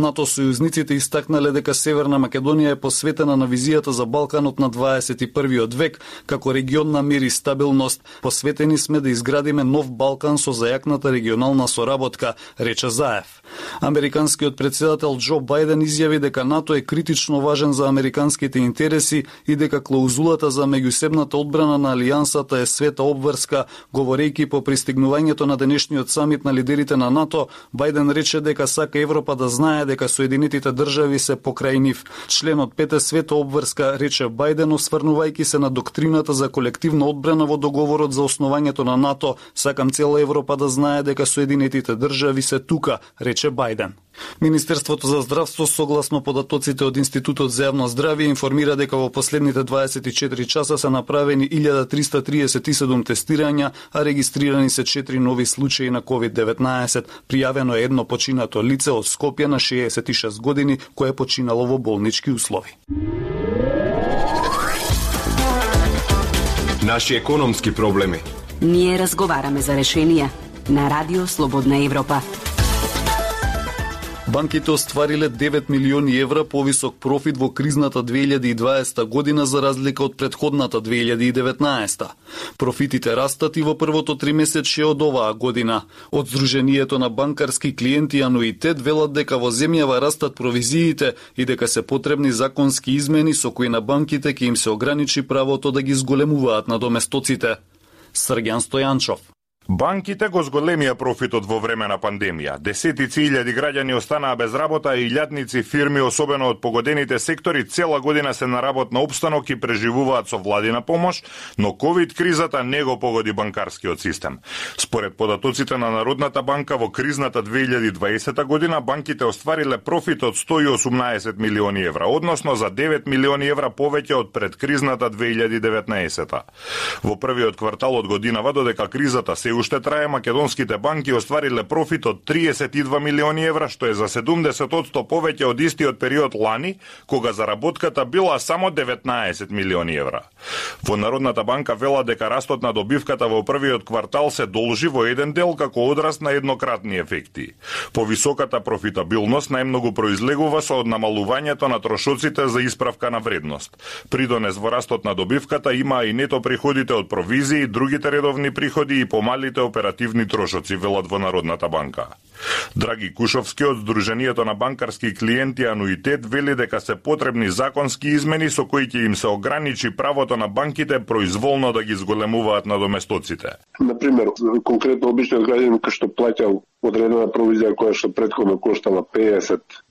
НАТО сојузниците истакнале дека Северна Македонија е посветена на визијата за Балканот на 21. век, како регион на мир и стабилност. Посветени сме да изградиме нов Балкан со зајакната регионална соработка, рече Заев. Американскиот председател Џо Бајден изјави дека НАТО е критично важен за американските интереси и дека клаузулата за меѓусебната одбрана на алијансата е света обврска. Говорејќи по пристигнувањето на денешниот самит на лидерите на НАТО, Бајден рече дека сака Европа да знае дека Соединетите држави се покрај нив. Членот 5 е света обврска, рече Бајден, осврнувајќи се на доктрината за колективна одбрана во договорот за основањето на НАТО. Сакам цела Европа да знае дека Соединетите држави се тука, рече Бајден. Министерството за здравство, согласно податоците од Институтот за јавно здравје, информира дека во последните 24 часа се направени 1337 тестирања, а регистрирани се 4 нови случаи на COVID-19. Пријавено е едно починато лице од Скопје на 66 години, кое е починало во болнички услови. Наши економски проблеми. Ние разговараме за решенија на Радио Слободна Европа. Банките оствариле 9 милиони евра повисок профит во кризната 2020 година за разлика од претходната 2019. Профитите растат и во првото тримесечје од оваа година. Од Сдруженијето на банкарски клиенти и ануитет велат дека во земјава растат провизиите и дека се потребни законски измени со кои на банките ќе им се ограничи правото да ги зголемуваат надоместоците. Срѓан Стојанчов. Банките го зголемија профитот во време на пандемија. Десетици илјади граѓани останаа без работа и илјадници фирми, особено од погодените сектори, цела година се на работна опстанок и преживуваат со владина помош, но ковид кризата не го погоди банкарскиот систем. Според податоците на Народната банка во кризната 2020 година банките оствариле профит од 118 милиони евра, односно за 9 милиони евра повеќе од предкризната 2019. Во првиот квартал од годинава, додека кризата се уште трае, македонските банки оствариле профит од 32 милиони евра, што е за 70% повеќе од истиот период лани, кога заработката била само 19 милиони евра. Во Народната банка вела дека растот на добивката во првиот квартал се должи во еден дел како одраз на еднократни ефекти. Повисоката профитабилност најмногу произлегува со намалувањето на трошоците за исправка на вредност. Придонес во растот на добивката има и нето приходите од провизии, другите редовни приходи и помалите оперативни трошоци, велат во Народната банка. Драги Кушовски од Сдруженијето на банкарски клиенти ануитет вели дека се потребни законски измени со кои ќе им се ограничи правото на банките произволно да ги зголемуваат надоместоците. Например, конкретно обичниот граѓанин кој што плаќал одредена провизија која што претходно коштала 50